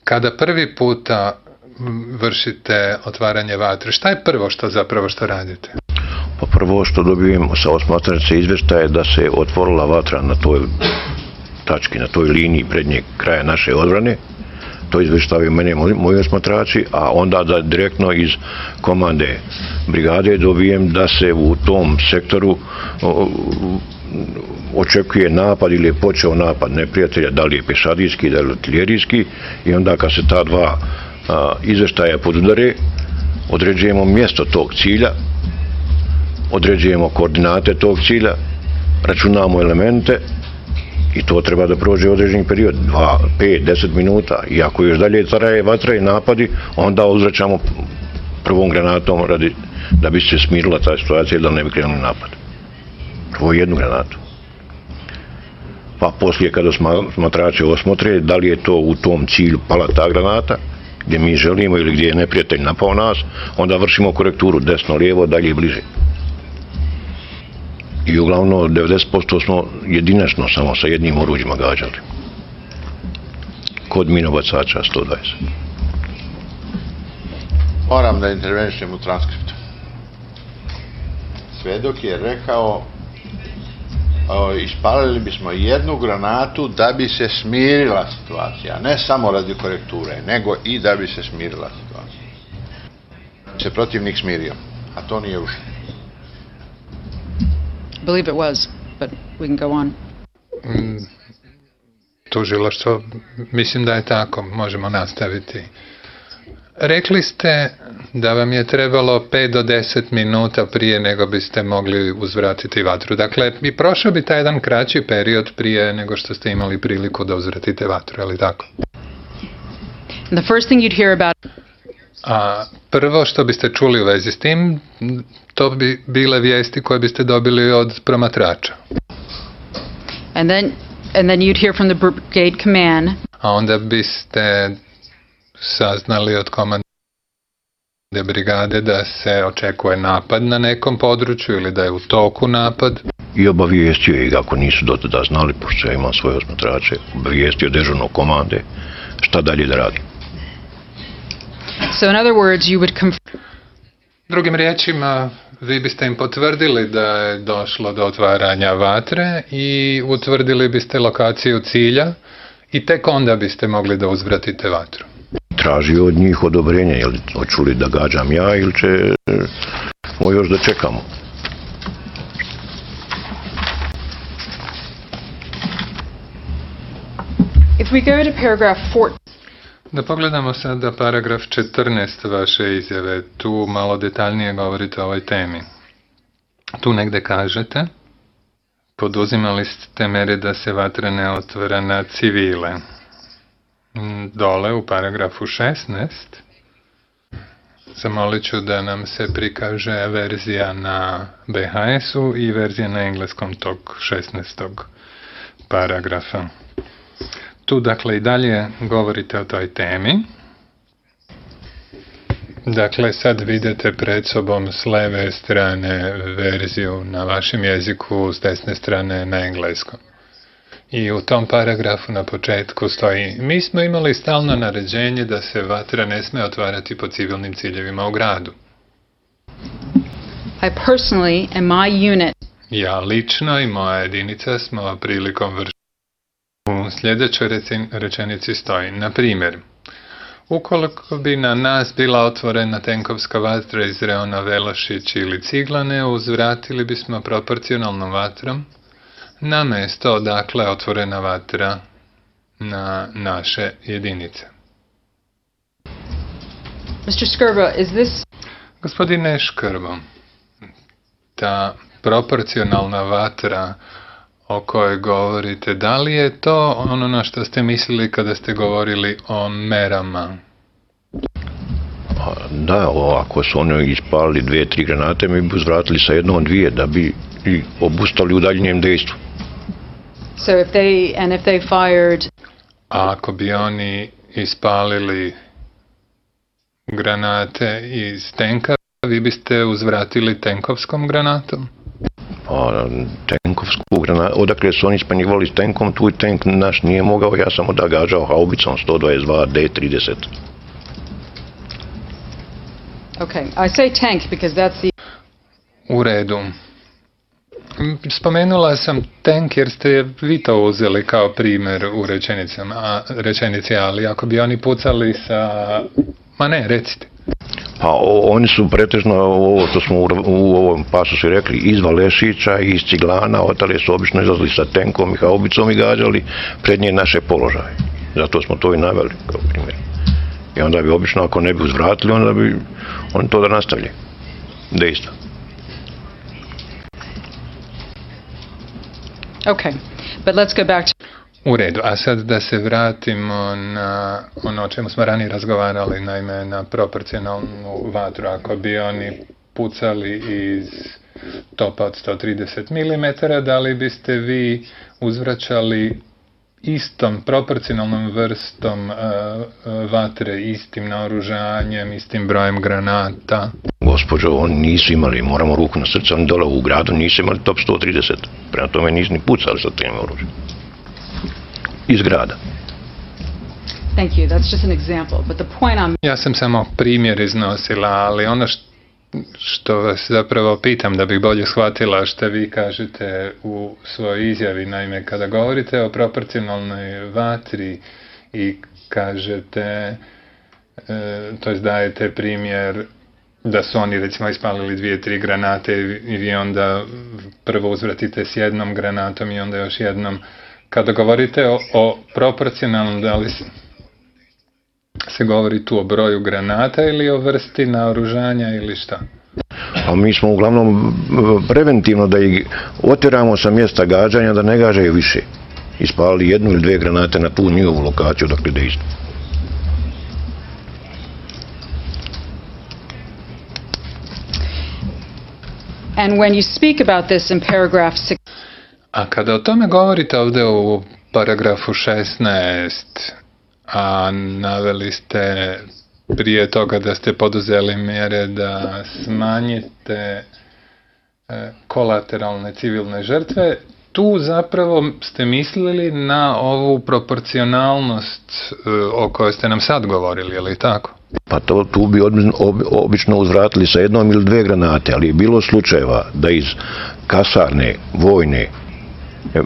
Kada prvi puta vršite otvaranje vatre, šta je prvo što radite? Pa prvo što dobijem sa osmatračnice izvještaje da se otvorila vatra na toj tački, na toj liniji prednjeg kraja naše odbrane. To izvještavaju mene moji osmatrači, a onda da direktno iz komande brigade dobijem da se u tom sektoru očekuje napad ili je počeo napad neprijatelja, da li je pešadijski, da li je artiljerijski, i onda kad se ta dva izvještaja podudare, određujemo mjesto tog cilja, određujemo koordinate tog cilja, računamo elemente i to treba da prođe određeni period, 2, 5, 10 minuta. I ako još dalje traje vatra i napadi, onda uzvraćamo prvom granatom da bi se smirila ta situacija i da ne bi krenuli napad. Prvo jednu granatu. Pa poslije kada osmatrači osmotre da li je to u tom cilju pala ta granata, gdje mi želimo ili gdje je neprijatelj napao nas, onda vršimo korekturu desno, lijevo, dalje i bliže. I uglavnom 90% smo jedinačno samo sa jednim oruđima gađali. Kod minobacača 120. Moram da intervenišem u transkriptu. Svedok je rekao ispalili bismo jednu granatu da bi se smirila situacija, ne samo radi korekture, nego i da bi se smirila situacija. Se protivnik smirio, a to nije ušlo. Believe it was, but we can go on. Tužilaštvo, mislim da je tako, možemo nastaviti. Rekli ste da vam je trebalo 5 do 10 minuta prije nego biste mogli uzvratiti vatru. Dakle, i prošao bi taj jedan kraći period prije nego što ste imali priliku da uzvratite vatru, ali tako? The first thing you'd hear about... A prvo što biste čuli u vezi s tim, to bi bile vijesti koje biste dobili od promatrača. And then you'd hear from the brigade command. A onda biste saznali od komande brigade da se očekuje napad na nekom području ili da je u toku napad. I obavijestio ih, ako nisu do tada znali, pošto ja imam svoje osmatrače, obavijestio dežurnog komande šta dalje da radi. So in other words, you would confirm. Drugim riječima, vi biste im potvrdili da je došlo do otvaranja vatre i utvrdili biste lokaciju cilja i tek onda biste mogli da uzvratite vatru. Tražio od njih odobrenje, jel hoću li da gađam ja ili ćemo još da čekamo. If we go to paragraph 14. Da pogledamo sada paragraf 14 vaše izjave. Tu malo detaljnije govorite o ovoj temi. Tu negde kažete, poduzimali ste mere da se vatra ne otvara na civile. Dole u paragrafu 16 zamolit ću da nam se prikaže verzija na BHS-u i verzija na engleskom tog 16. paragrafa. Tu dakle i dalje govorite o toj temi. Dakle, sad vidite pred sobom s leve strane verziju na vašem jeziku, s desne strane na engleskom. I u tom paragrafu na početku stoji: mi smo imali stalno naređenje da se vatra ne sme otvarati po civilnim ciljevima u gradu. I personally and my unit. Ja lično i moja jedinica smo prilikom vršenja. U sljedećoj rečenici stoji, na primjer, ukoliko bi na nas bila otvorena tenkovska vatra iz reona Velošić ili Ciglane, uzvratili bismo proporcionalnom vatrom na mesto odakle otvorena vatra na naše jedinice. Mr. Škrbo, is this... Gospodine Škrbo, ta proporcionalna vatra o kojoj govorite, da li je to ono na što ste mislili kada ste govorili o merama? Da, ako su oni ispalili 2-3 granate, mi bi uzvratili sa jednom 2 da bi obustavili u daljnjem dejstvu. So if they fired... A ako bi oni ispalili granate iz tenka, vi biste uzvratili tenkovskom granatom? Pa, tenkovsku granatu, odakle su oni spanjivali s tenkom, tu tenk naš nije mogao, ja sam onda gađao haubicom 122 D30. Okay, I say tank because that's the... U redu. Spomenula sam tank jer ste vi to uzeli kao primjer u rečenici, ali ako bi oni pucali sa... Ma ne, recite. Pa oni su pretežno, ovo što smo u ovom pasusu rekli, iz Valešića i iz Ciglana, otale su obično izlazili sa tenkom i haubicom i gađali prednje naše položaje. Zato smo to i naveli kao primjer. I onda bi obično, ako ne bi uzvratili, onda bi oni to da nastavljaju. Dejstvo. Okay, but let's go back to... U redu, a sad da se vratimo na ono o čemu smo ranije razgovarali, naime na proporcionalnu vatru. Ako bi oni pucali iz topa od 130 mm, da li biste vi uzvraćali istom proporcionalnom vrstom vatre, istim naoružanjem, istim brojem granata? Gospođo, oni nisu imali, moramo ruku na srce, oni dole u gradu nisu imali top 130. Prema tome nisu ni pucali sa tim oružjem. Iz grada. Thank you, that's just an example, but the point I'm... Ja sam samo primjer iznosila, ali ono što vas zapravo pitam da bih bolje shvatila što vi kažete u svojoj izjavi, naime kada govorite o proporcionalnoj vatri i kažete, to jest dajete primjer da su oni recimo ispalili 2-3 granate i vi onda prvo uzvratite s jednom granatom i onda još jednom. Kada govorite o proporcionalnom, da li se govori tu o broju granata ili o vrsti naoružanja ili šta? A mi smo uglavnom preventivno da ih otjeramo sa mjesta gađanja da ne gađaju više. Ispalili 1 ili 2 granate na tu njihovu lokaciju dakle dejstvo. And when you speak about this in paragraph 6... A kada o tome govorite ovdje u paragrafu 16, a naveli ste prije toga da ste poduzeli mjere da smanjite kolateralne civilne žrtve, tu zapravo ste mislili na ovu proporcionalnost o kojoj ste nam sad govorili, je li tako? Pa tu bi obično uzvratili sa 1 ili 2 granate, ali je bilo slučajeva da iz kasarne, vojne,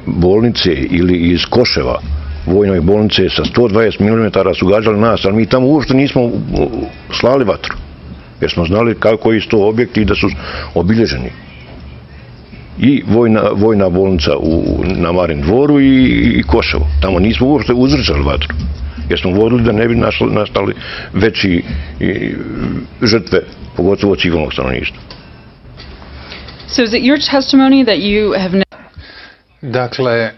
bolnice ili iz Koševa, vojnoj bolnice sa 120 mm su gađali nas, ali mi tamo uopšte nismo slali vatru, jer smo znali koji su to objekti i da su obilježeni. I vojna bolnica na Marin dvoru i Koševo. Tamo nismo uopšte uzvrćali vatru, jer smo vodili da ne bi nastali veći žrtve, pogotovo civilnog stanovništva. So is it your testimony that you have... Dakle,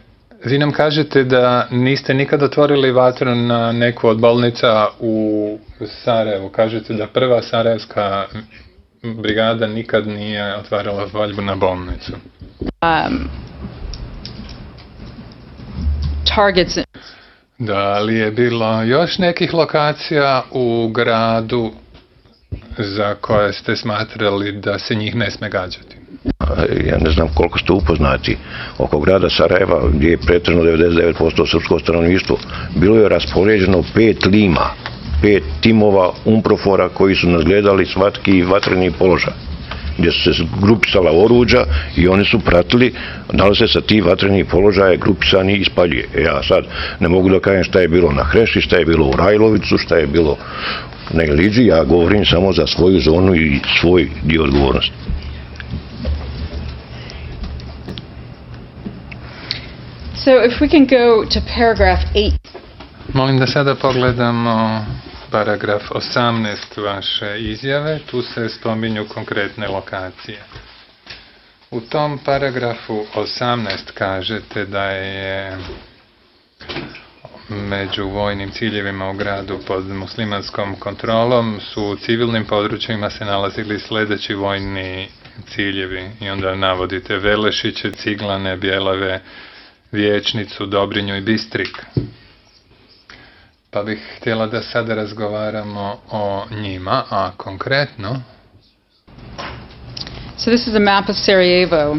vi nam kažete da niste nikad otvorili vatru na neku od bolnica u Sarajevu. Kažete da prva sarajevska brigada nikad nije otvarala paljbu na bolnicu. Targets... Da li je bilo još nekih lokacija u gradu za koje ste smatrali da se njih ne sme gađati? Ja ne znam koliko ste upoznati oko grada Sarajeva, gdje je pretežno 99% srpsko stanovništvo, bilo je raspoređeno 5 lima, 5 timova umprofora koji su nas gledali svatki vatreni položaj, gdje su se grupisala oruđa i oni su pratili da li se sa ti vatreni položaje grupisani ispaljuje. Ja sad ne mogu da kažem šta je bilo na Hreši, šta je bilo u Rajlovicu, šta je bilo na Iliđi, ja govorim samo za svoju zonu i svoj dio odgovornosti. So if we can go to paragraph 8. Molim da sada pogledamo paragraf 18 vaše izjave. Tu se spominju konkretne lokacije. U tom paragrafu 18 kažete da je među vojnim ciljevima u gradu pod muslimanskom kontrolom su u civilnim područjima se nalazili sljedeći vojni ciljevi i onda navodite Velešiće, Ciglane, Bjelave, Vijećnicu, Dobrinju i Bistrik. Pa bih htjela da sada razgovaramo o njima, a konkretno... So this is a map of Sarajevo.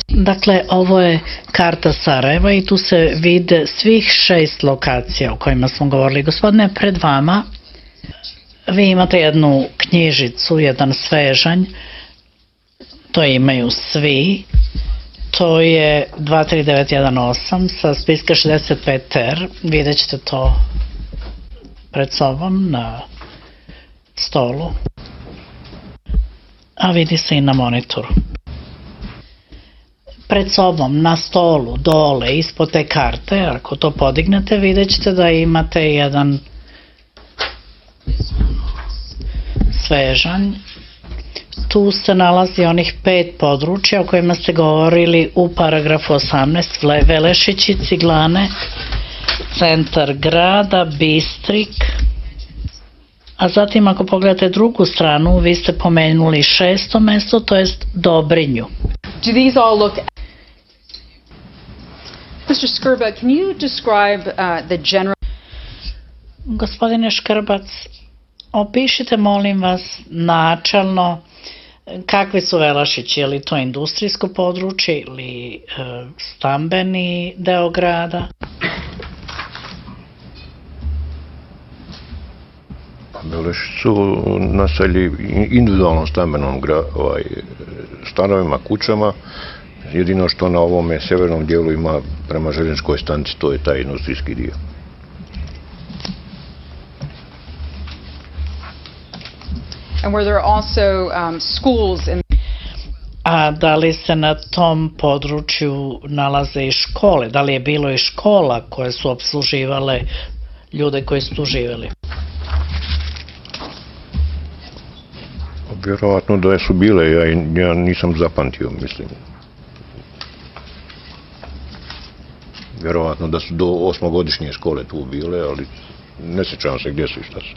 Dakle, ovo je karta Sarajeva i tu se vide svih 6 lokacija o kojima smo govorili. Gospodine, pred vama vi imate jednu knjižicu, jedan svežanj, to imaju svi, to je 23918 sa spiska 65R, vidjet ćete to pred sobom na stolu, a vidi se i na monitoru. Pred sobom, na stolu, dole, ispod te karte, ako to podignete, vidjet ćete da imate jedan svežanj. Tu se nalazi onih 5 područja o kojima ste govorili u paragrafu 18, Velešići, Ciglane, centar grada, Bistrik. A zatim ako pogledate drugu stranu, vi ste pomenuli 6. mesto, to jest Dobrinju. Do these all look... Mr. Škrba, can you describe the general... Gospodine Škrbac, opišite, molim vas, načelno kakvi su Velašići, je li to industrijsko područje ili stambeni deo grada? Velešići su naselji individualnom stambenom stanovima, kućama. Jedino što na ovome severnom dijelu ima prema željezničkoj stanici, to je taj industrijski dio. And were there also schools in... A da li se na tom području nalaze i škole? Da li je bilo i škola koje su obsluživale ljude koji su tu živjeli? Vjerovatno da su bile, ja nisam zapamtio, mislim. Vjerovatno da su do 8-godišnje škole tu bile, ali ne sjećam se gdje su i šta su.